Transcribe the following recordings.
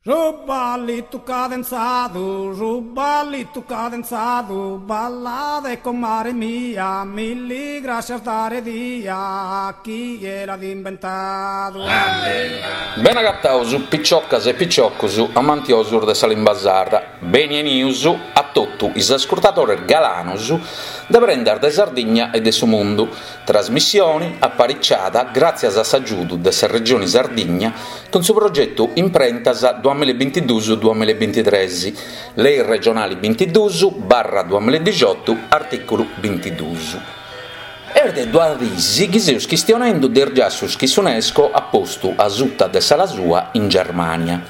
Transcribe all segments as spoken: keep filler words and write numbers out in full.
Su ballitu cadenzadu, su ballitu cadenzadu, ballade comare mia, milli grascias dare dia, chie l'at imbentadu. Bene agataus piciocas e piciocus amantiosus de sa limba sarda, beni 'enius a totu is ascurtadores galanos de Prendas de Sardigna e de su Mundu, trasmissione apariciada gràtzias a s'agiudu de sa Regione Sardigna cun su progetu Imprentas duamilla e bintiduus duamilla e bintitres, Lei regionale bintiduus barra duamilla e dixiotu, artìculu bintiduus. Est de duas diis chi seus chistionendu de is giassus chi s'UNESCO at postu a suta de s'ala sua in Germània.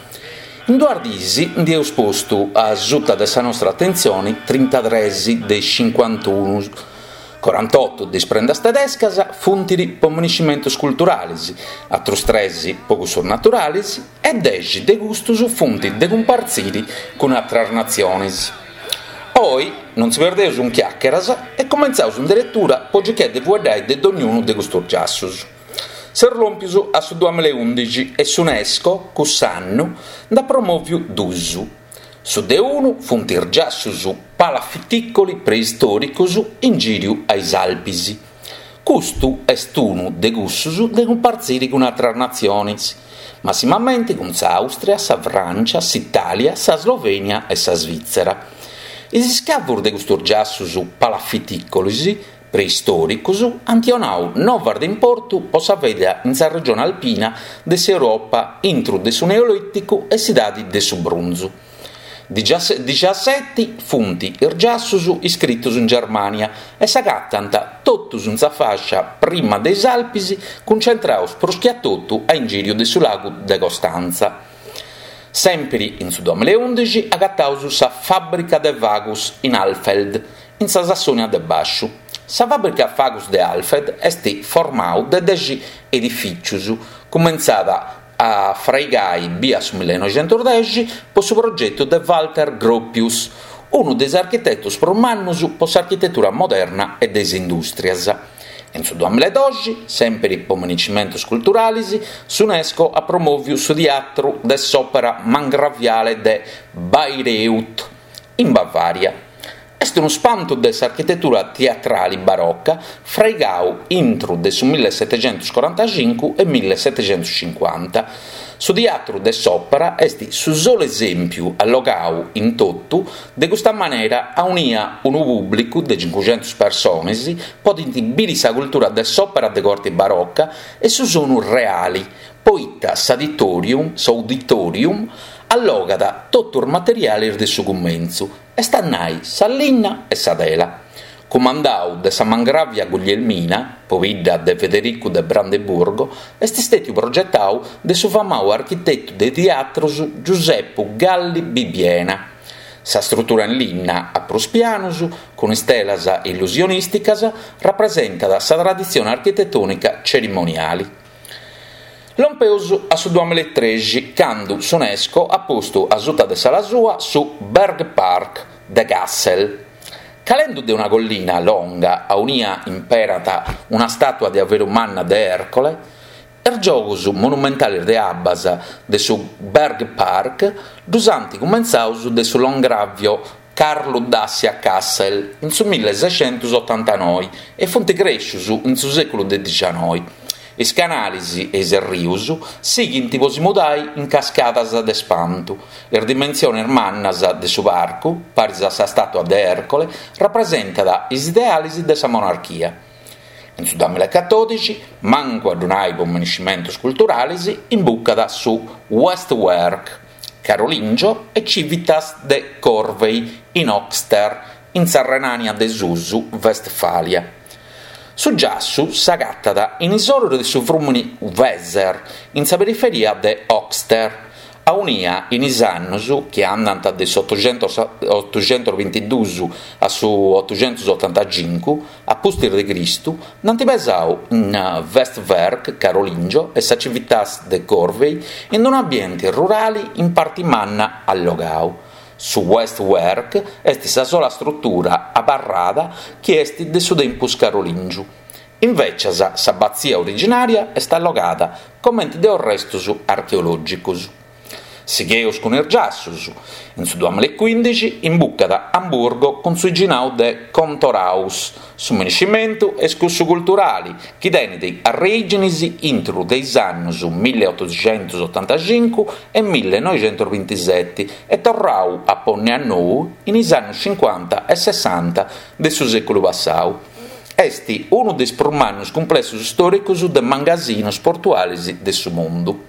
In duas diis ndi eus postu a suta de sa nostra atentzione trintatres de is cincuantunu, corantotu de is prendas tedescas funt po miniscimentos culturales, atrus tres po cussus naturales e dexi de custus funt de cumpartzire cun atras natziones. Oi non si perdeus in chiàcheras e cumentzaus in deretura po circai de fueddai de dognunu de custus giassus. Seus lòmpius a su duamilla e ùndixi e s'UNESCO, cuss'annu, nd'at promòviu dus. Su de unu funt is giassus palafitìcoli preistòricos in gìriu a is Alpis. Custu est unu de cussus de cumpartzire cun atras natziones, massimamente cun s'Àustria, sa Frància, s'Itàlia, sa Slovènia e sa Svìtzera. Is iscavos de custos giassus palafitìcolis preistòricos ant donadu novas de importu pro sa vida in sa regione alpina de s'Europa intro de su Neolìticu e s'Idade de su Brunzu. Dixaseti funt is giassus iscritos in Germània e s'agatant totus in sa fàscia prima de is Alpis, cuncentrados prus che a totu a ingìriu de su lagu de Costantza. Sèmpiri in su duamilla e ùndixi agataus sa Fàbrica de Fagus in Alfeld, in sa Sassònia de Bàsciu. Sa Fàbrica Fagus de Alfeld est formadu de dexi edifìtzios, cumentzada a fraigai bia su millenoixentos dexi pro su progetu de Walter Gropius, unu de is architetos prus mannos pro s'architetura moderna e de is indùstrias. In su duamilla e doxi, sèmpiri pro miniscimentos culturales, s'UNESCO at promòvidu su Teatru de s'Òpera Margraviale de Bayreuth, in Bavària. Est unu spantu de s'architetura teatrale baroca fraigadu intro de su millesetechentos corantacincu e millesetechentos cincuanta. Su Teatru de s'Òpera est su solu esèmpiu allogadu in totu de custa manera aunia unu pùblicu de cincucentos persones podent bìdere sa cultura de s'òpera de corte baroca e su sonu reale, poita s'auditorium, s'auditorium allogat totu is materiales de su cumentzu, est a nai sa linna e sa tela. Cumandadu de sa margravia Guglielmina, pobidda de Federicu de Brandeburgo, est istètiu progetadu de su famadu architetu de teatros Giuseppe Galli Bibiena. Sa strutura in linna a prus pianos, cun istelas illusionìsticas, rapresentat sa traditzione architetònica tzerimoniale. Lompeus a su duamilla e trexi, cando s'UNESCO at postu a suta de s'ala sua su Bergpark de Kassel. Calendu de una collina longa aunia imperat una stàtua de averu manna de Ercole, is giogos monumentales de abbas de su Bergpark ddus ant cumentzados de su langravio Carlo Dassi a Kassel in su milleseicentos otantanoe e funt crèscios in su sèculu de dicianoi. Is canales e is rios sighint pro si mudare in cascadas de spantu. Is dimensiones mannas de su parcu, paris a sa stàtua de Ercole, rapresentant is ideales de sa monarchia. In su duamilla e catòdixi, mancu a ddu nai pro miniscimentos culturales, imbucat su Westwerk Carolingio e Civitas de Corvey in Höxter, in sa Renània de Susu, Westfàlia. Su giassu s'agatat in is oros de su frùmene Weser, in sa periferia de Höxter, aunia in is annos chi andant de su otocentos bintiduus a su otocentos otantacincu a pustis de Cristu, nd'ant pesadu in Westwerk Carolingio e sa Civitas de Corvey in un'ambiente rurale in parte manna allogadu. Su Westwerk est sa sola strutura abarrada chi est de su tempus carolìngiu. Invècias s'abbatzia originària est allogada comente de restos archeològicos. Sigheus cun is giassus. In su duamilla e cuindixi imbucat Amburgo cun su biginau de Kontorhaus. Su minescimentu est cussu culturali, chi tenit arreìginis intru de is annus milliotoxentusotantacincu e millinoixentusbintiseti e torrau a ponni a nou in is annus cincuanta e sessanta de su sèculu passau. Est unu de is prus mannus cumplessus stòricus de mangasinus portualis de su mundu.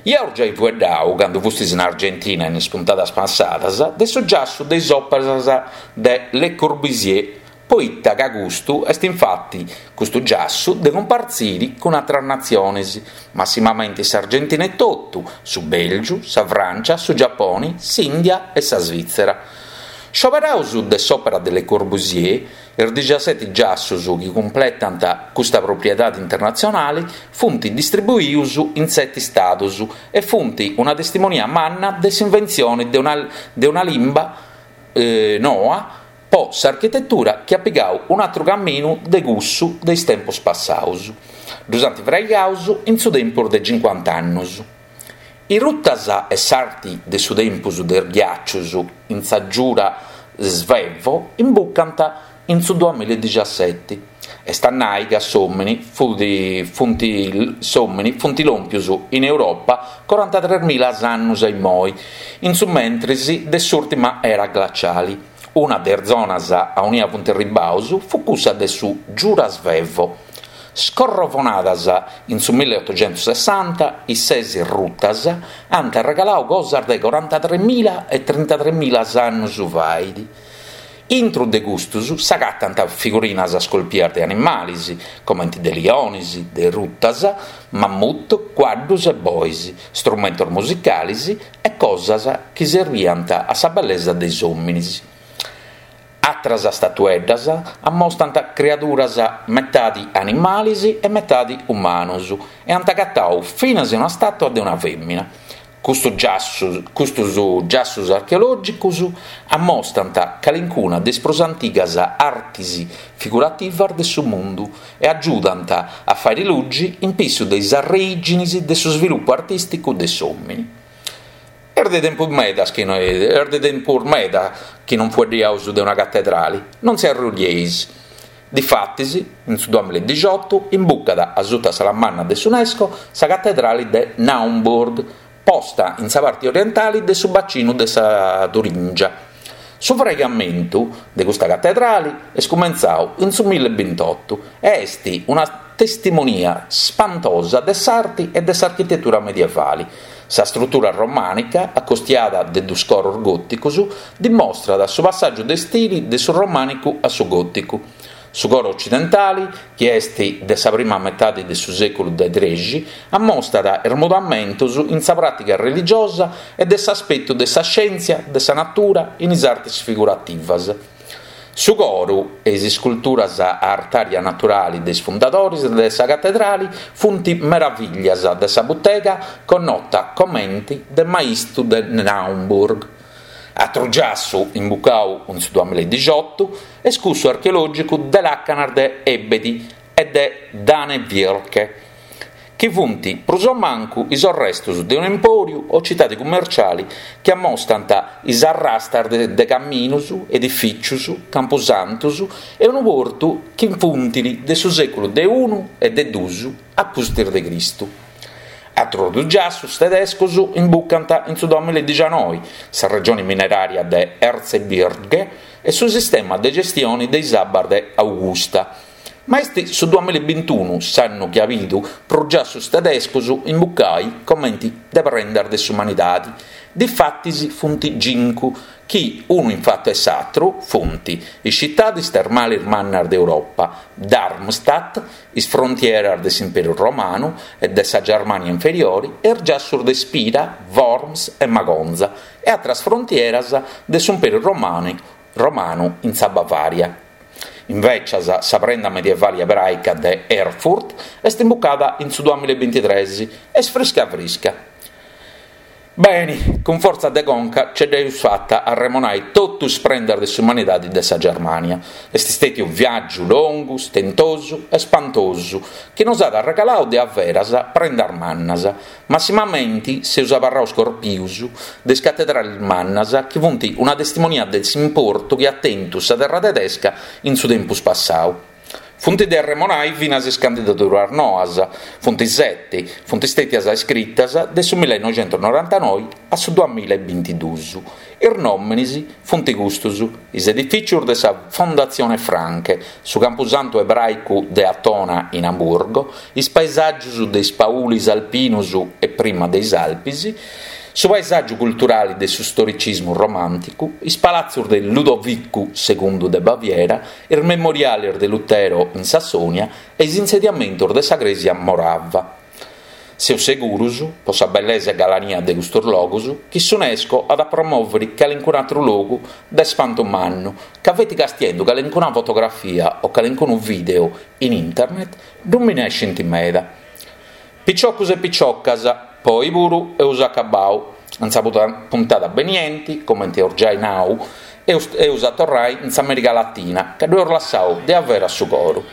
Iaus giai fueddau, candu fustis in Argentina in is puntadas passadas, de su giassu de is òperas de Le Corbusier, poita ca custu est infati custu giassu de cumpartziri cun atras natziones, massimamenti s'Argentina etotu, su Bèlgiu, sa Frància, su Giaponi, s'Ìndia e sa Svìtzera. Scioberaus de s'òpera de Le Corbusier, is dixaseti giassus chi cumpletant custa propriedade internatzionale funt distribuius in seti stadus e funt una testimonia manna de s'inventzione de una, de una limba eh, noa po s'architetura chi at pigau un'atru caminu de cussu de is tempos passaus. Ddus ant fraigaus in su tempus de cincuanta annus. Is rutas e s'arti de su tempus de is ghiàcius in sa Giura Svevo imbucant in su duamilla e dixaseti. Est a nai ca s'òmini fut, funt, s'òmini funt lòmpius in Europa corantatres mila annus a immoi, in su mentris de s'ùrtima era glaciali. Una de is zonas aunia funt arribbaus fut cussa de su Giura Svevo. Scorrovonadas in su milliotoxentusessanta, is ses rutas ant arregalau cosas de corantatremila e trintatremila annus fait. Intru de custus s'agatant figurinas scolpias de animales, comenti de liones, de rutas, mammut, cuaddus e bois, strumentos musicales e cosas chi serviant a sa bellesa de is òmines. Atras statueddas ammostant criaduras metadi animales e metadi umanos e ant agatau finas una stàtua de una fèmina. Custu giassu, custos giassos archeològicos ammostant calincuna de is prus antigas artes figurativas de su mundu e agiudant a fàere lugi in pissu de is arreìginis de su svilupu artìsticu de s'òmine. Est de tempus medas chi no, est de tempus meda chi non fueddiaus de una catedrali, non si arrollieis. Difatis, in su duamilla e dixiotu, imbucat a suta sa manna de s'UNESCO sa catedrali de Naumburg, posta in sa parte orientale de su bacinu de sa Turingia. Su fraigamentu de custa catedrale est cumentzau in su millebintotto e est una testimonia spantosa de s'arte e de s'architetura medievale. Sa struttura romànica, acostiada de dus coros gòticos, dimostrat su passàgiu de stili de su romànicu a su gòticu. Su coro occidentale, chi est de sa prima metade de su sèculu de trexi, ammostat is mudamentos in sa pràtica religiosa e de s'aspetu de sa scièntzia de sa natura in is artes figurativas. Su coro e is isculturas a artària naturale de is fundadores de sa catedrale funt meraviglias de sa butega connota comente de Maistu de Naumburg. Atru giassu imbucau in su duamilla e dixiotu est cussu archeològicu de làcanas de Ebedi e de Danevirke, chi funt prus o mancu is orrestos de un'empòriu o citade cummerciale chi ammostant is arrastas de, de caminos, edifìcios, campusantos e unu portu chi funt de su sèculu de unu e de dus a pustis de Cristu. Atros dus giassos tedescos imbucant in su duamilla e dicianoi, sa regione mineraria de Erzgebirge e su sistema de gestione de is abbas de Augusta. Ma est su duamilla e bintunu s'annu chi at bidu prus giassos tedescos imbucai comenti de prendas de s'umanidade. Difatis funt cincu, chi unu in fatu e s'atru funt is citades termales mannas d'Europa, Darmstadt, is frontieras de s'Imperu Romanu e de sa Germania Inferiore e is giassos de Spira, Worms e Magonza e atras frontieras de s'Imperu Romanu, Romanu in sa Bavaria. Invecias, sa prenda medievale ebraica de Erfurt est imbucada in su duamilla e bintitrés, est frisca frisca. Beni, cun fortza de conca ce dd'eus fata a arremonai totu is prendas de s'umanidadi de sa Germania. Est stètiu viàgiu longu, stentosu e spantosu, chi nos at arregalau de averas prendas mannas. Massimamenti seus abarraus corpius de is catedralis mannas chi funt una testimonia de s'importu chi at tentu sa terra tedesca in su tempus passau. Funt de arremonai finas is candidaduras noas, funt seti, funt stètias iscritas de su millenoixentusnorantanoi a su duamilla e bintiduus. Is nòminis funt custus, is edifìcios de sa Fondatzione Francke, su Campusantu ebràicu de Atona in Amburgo, is paesàgios de is paulis alpinos e prima de is Alpis, su paesàgiu culturale de su storicismu romànticu, is palatzos de Ludovicu segundu de Baviera, is memoriales de Lutero in Sassonia e is insediamentos de sa Crèsia Morava. Seus seguros, pro sa bellesa e galania de custos logos, chi s'UNESCO at a promòvere calincunu àteru logu de spantu mannu, ca feti castiendu calincuna fotografia o calincunu vìdeu in internet ddu minescint meda. Piciocos e piciocas, po oi puru eus acabau. In sa puntada benienti, comente eus giai nau, eus, eus a torrai in s'America Latina, ca ddu eus lassau de averas su coru.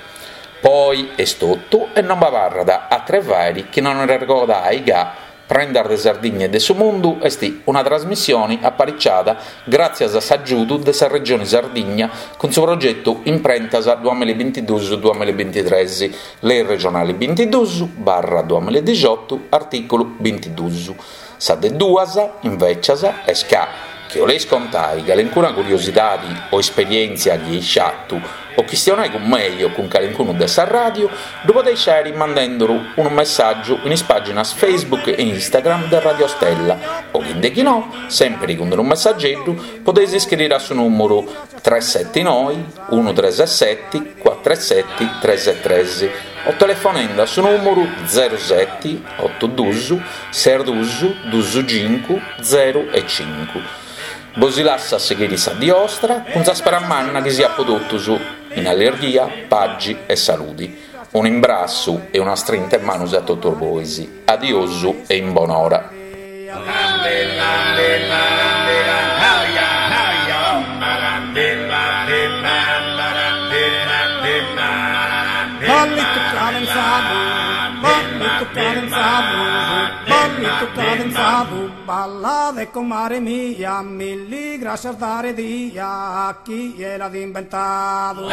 Po oi est totu e non b'abarrat àteru 'e fàere chi non arregodai ca Prendas de Sardigna e de su Mundu est una trasmissione apariciada gràtzias a s'agiudu de sa Regione Sardigna cun su progetu Imprentas duamilla e bintiduus duamilla e bintitres, Lei regionale bintiduus barra duamilla e dixiotu, artìculu bintiduus. Sa de duas, invècias, est ca, chi 'oleis contai calincuna curiosidadi o esperièntzia chi eis fatu o chistionai cun mei o cun calincunu de sa ràdiu, ddu podeis fàere mandenduru unu messàgiu in is pàginas Facebook e Instagram de Radio Stella o chi de chi no, sèmpiri cun unu messageddu, podeis iscriri a su nùmeru tres seti noi unu tres seti cuatru seti tres tres o telefonende a su nùmeru zero seti otu dus ses dus dus cincu zero e cincu. Bos lasso a sighire sa die 'ostra cun sa spera manna chi siat po totus in allegria, pagi e saludi. Un'imbrassu e una strinta 'e manos a totus bois. Adiosu e in bonora. Ballittu cadenzadu, ballittu cadenzadu, ballittu cadenzadu, ballade comare mia, milli grascias dare dia, chie l'at inventadu.